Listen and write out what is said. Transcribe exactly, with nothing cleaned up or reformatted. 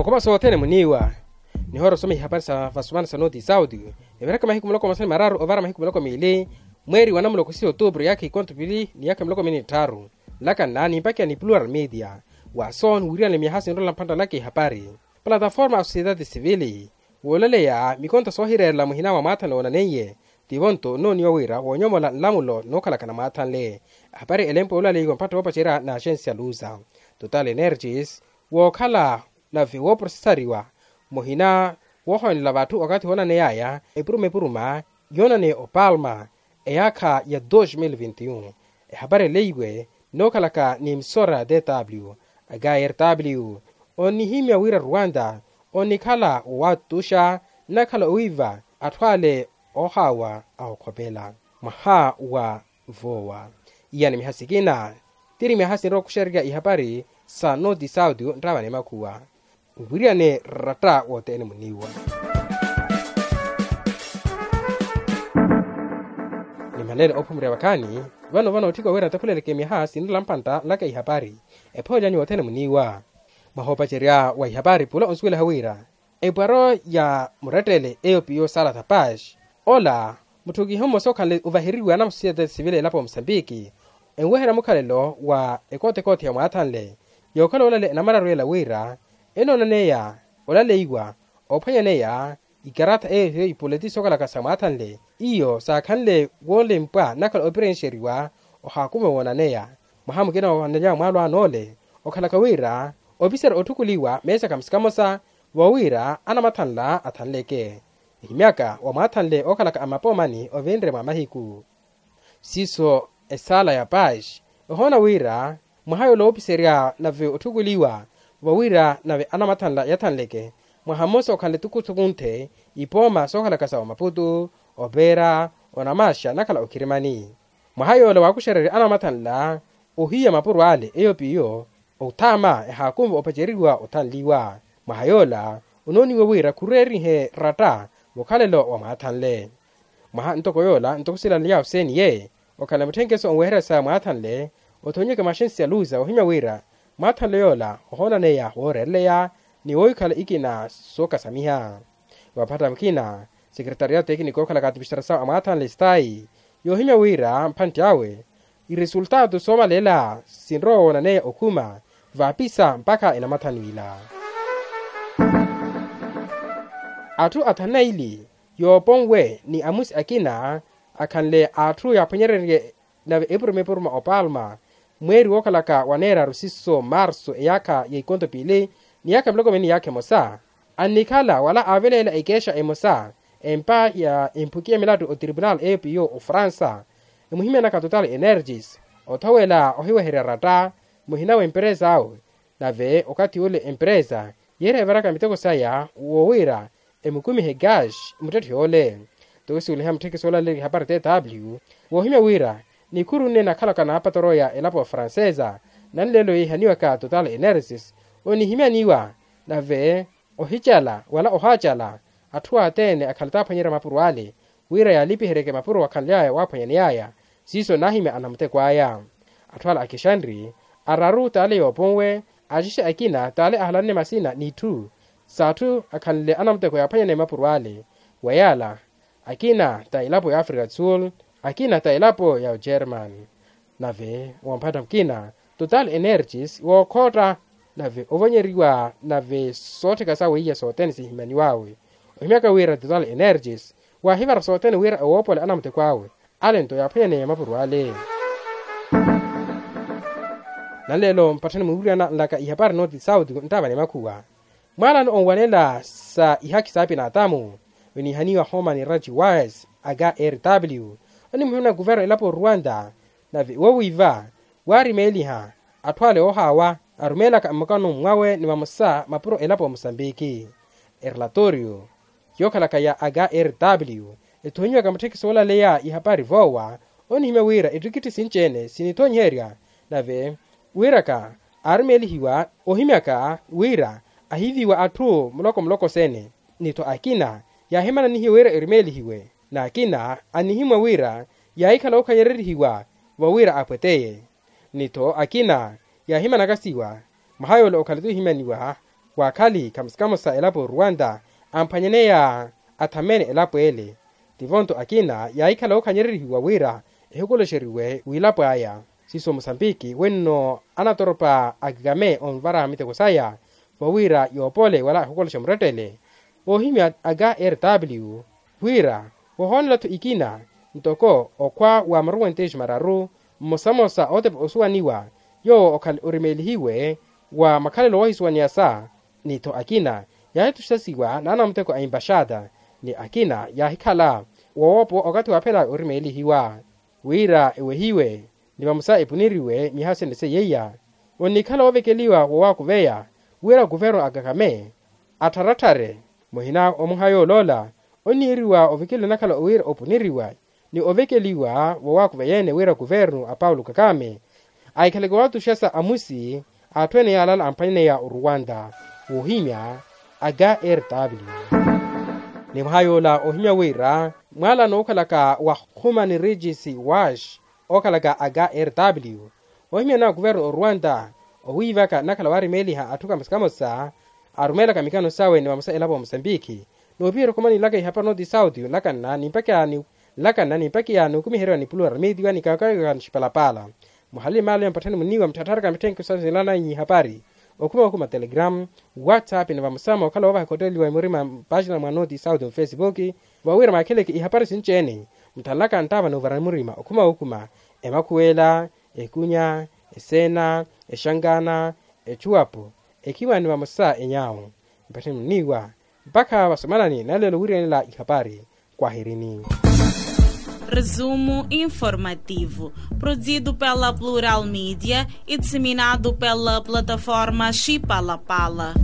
Okhuma sothene muniiwa. Nihoora osoma ihapari sa vasumana sa noti sauti. Eviraka mahiku muloko masani mararu ovara mahiku muloko miili, mweeri wa namuloko sisi otuupuru yaakha ikonto pili ni yaakha miloko mili ni tthaaru. Nlaka nnaani mpakiya ni plural media. Wason wiriyanle myaha sinrola mphantta nlaka ihapari. Plataforma a sociedade civili woolaleya mikonto soohireerela muhina wa mwaathanle woonaneiye, tivo nto nnooniwa wira woonyomola nlamulo nookhalaka namwaathanle. Ahapari elempo yoolaleiwa mpatto woopacerya na axensia luza. Total energies wookhala nave wooprosesariwa muhina woohonela vatthu wakathi woonaneyaya epuruma epuruma yoonaneya opalma eyaakha ya dos mil vinti un. Ehapari eleiwe nookhalaka ni emisora ya tw, akrw, onnihimya wira rwanda onnikhala wowattuxa nnakhala owiiva atthu ale oohaawa a okhopela mwaha wa voowa. Iyani miha sikina tiri miha sinrowa okuxererya ihapari sa noti sauti nttaavani makhuwa. Nviriyane ratta wothene muniiwa. Nimanene ophumurya vakhaani vano vano otthika wira ntakhuleleke miha sinrela mpantta nlaka ihapari. Ephoolyanyu wothene muniiwa. Mwaha opacerya wa ihapari pula onsuwelaha wira epwaro ya murettele eyo piyo sala thapax ola mutthukiho mmosa okhanle ovaheriwa na musosiyete sivile elapo ya musambiki enweherya mukhalelo wa ekoote ekoote ya mwaathanle. Yookhala olale enamararu ela wira enoonaneya olaleiwa ophwanyaneya ikaratta eyo hiyo ipuleti sookhalaka sa mwaathanle iyo saakhanle woolempwa nnakhala opirenxeriwa ohaakume woonaneya. Mwaha mukina woonaneya mwaalo anoole okhalaka wira opisera otthukuliwa meesa kamosa kamosa vowira anamathanla athanleke. Ehimyaka wa mwaathanle ookhalaka amapoomani ovinre mwa mahiku siiso esaala ya paxi ehoona wira mwaha yoola woopiserya nave otthukuliwa vowira nave anamathanla yathanleke mwaha mmosa okhanle tukutukunthe ipooma sookhalaka sa omaputu opeera onamaxa nakhala okhirimani. Mwaha yoola waakuxererya anamathanla ohiya mapuro ale eyo piyo othaama ehaakunva opaceriwa othanliwa. Mwaha yoola onooniwa wira khureerihe ratta mukhalelo wa mwaathanle. Mwaha ntoko yoola ntoko silaley'ahu seeni ye okhala mutthenkeso onweherya sa mwaathanle othonyeke mwaxensi ya luza ohimya wira mwaathanle yoola ohoonaneya wooreereleya ni woohikhala ikina sookasamiha. Vaphatta mukina sekeretariya tekiniki ookhalaka atipistarasawu a mwaathanle stayi yoohimya wira mphantti awe iresultaatu soomaleela sinrowa woonaneya okhuma vaapisa mpakha enamathanwila. Atthu athanu na ili yooponwe ni amusi akina akhanle atthu yaaphwanyererye nave epuruma epuruma opalma mweeri wookhalaka waneeraru siso marso eyaakha ya ikonto piili ni yaakha miloko mili ni yaakha emosa annikhala wala aaveleela ekeexa emosa empa ya emphuki ya milattu otripunal eyo piyo ofransa emuhimyanaka total energies othowela ohiweherya ratta muhina w'emperesa awe nave okathi ule emperesa yeerya evaraka miteko saya woowira emukumihe gash muttetthe yoole. Tokisuweliha mutthekisi oolaleerya ihapari tw woohimya wira nikhuru nne nakhalaka naapatoroya elapo ya francesa nanleelo yeehihaniwaka total energies onihimyaniwa nave ohicala wala ohaacala atthu athene akhala taaphwanyerya mapuro ale wira yaalipiheryeke mapuro akhanly'aya waaphwanyaney'aya siiso naahimya anamuteko aya. Atthu ala akixanri araru t'ale yooponwe axexe akina t'ale ahalanne masina n'itthu s'atthu akhanle anamuteko yaaphwanyaneya mapuro ale wa yaala akina ta elapo ya africa du sul akina ta elapo ya ogerman. Nave woomphatta mukina total energies wookhootta nave ovonyeriwa nave soottheka sawe iya sothene sihimyaniw'awe ohimyaka wira total energies waahivara sothene wira ewoopola anamuteko awe ale nto yaaphwanyaneya mapuro ale. Nanleelo mpatthani muwiriyana nlaka ihapari noti sauti nttaavani makhuwa mwaalano onwanela sa ihakhi sa apinatamu oniihaniwa homan rights watch aka rw onimuhimana kuverno elapo rwanda nave wowiiva waarimeeliha atthu ale oohaawa arumeelaka mmukano mmwawe ni vamosa mapuro elapo musambiki. Erelatorio yookhalaka ya aka rw ethonyiwaka mutthekisi woolaleya ihapari voowa onihimya wira ettikitthi sinci-ene sinithonyiherya nave wiraka aarumeelihiwa ohimyaka wira ahiiviwa atthu muloko muloko sene ni-tho akina yaahimananihiwe wira erumeelihiwe n'akina anihimwa wira yaahikhala ookhanyererihiwa vowira apweteye ni-tho akina yaahimanakasiwa mwaha yoola okhale-tho ohimyaniwa Waakhali kamosa kamosa elapo oruwanta amphwanyaneya athamene elapo ele. Tivo-nto akina yaahikhala ookhanyererihiwa wira ehikoloxeriwe wiilapo aya. Siiso musambiki wenno anatoropa akikame onvara miteko saya vowira yoopole wala ehikoloxa murettele. Oohimya aka rw wira wohoonela-tho ikina ntoko okhwa wa maruwentexi mararu mmosamosa ootepa osuwaniwa yoowo okhale orimeelihiwe wa makhalelo woohisuwaniyasa. Ni-tho akina yaahituxasiwa n'anamuteko a embaxada ni akina yaahikhala woowopowa okathi waaphela orimeelihiwa wira ewehiwe ni vamosa epuniriwe miyaha sene seiya. Onnikhala woovekeliwa wowakuveya wira kuvernu akakame attharattare muhina omuha yooloola onniiriwa ovekeliwa nakhala wira opuniriwa ni ovekeliwa vowaakuveya-ene wira kuvernu a paulo kakame ahikhaleke watuxasa amusi a atthu ene yaalala amphwanyaneya oruwanta woohimya aka rw. Ni mwaha yoola ohimya wira mwaala nookhalaka wa human rights watch ookhalaka aka rw ohimya na kuvernu oruwanta owiivaka nakhala waarimeeliha atthu kamosa kamosa arumeelaka mikano sawe ni vamosa elapo ya musambiki. Noopihira okhuma niilaka ihapari nooti sauti olakanna nimpakiya niikumiheriwa ni pulura miitiwa ni kakaka nixipalapaala muhali maalo ya mpatthani muniiwa mutthaattharaka mitthenkhu sa sinlananyi ihapari okhuma okhuma telegram whatsapp ni vamosa mookhala woovaha ekhotteliwa emurima mpaaxina mwa nooti sauti mufesipuki vawira maakheleke ihapari sinci-ene muthanlaka nttaava n'uvarani murima okhuma okhuma emakhuwela ekunya eseena exankaana echuwapo ekhiwa ni vamosa enyaawo mpatthani muniiwa mpakha vasomanani naleelo wiirenela ihapari kwahirini. Resumo informativo, produzido pela plural media e disseminado pela plataforma xipalapala.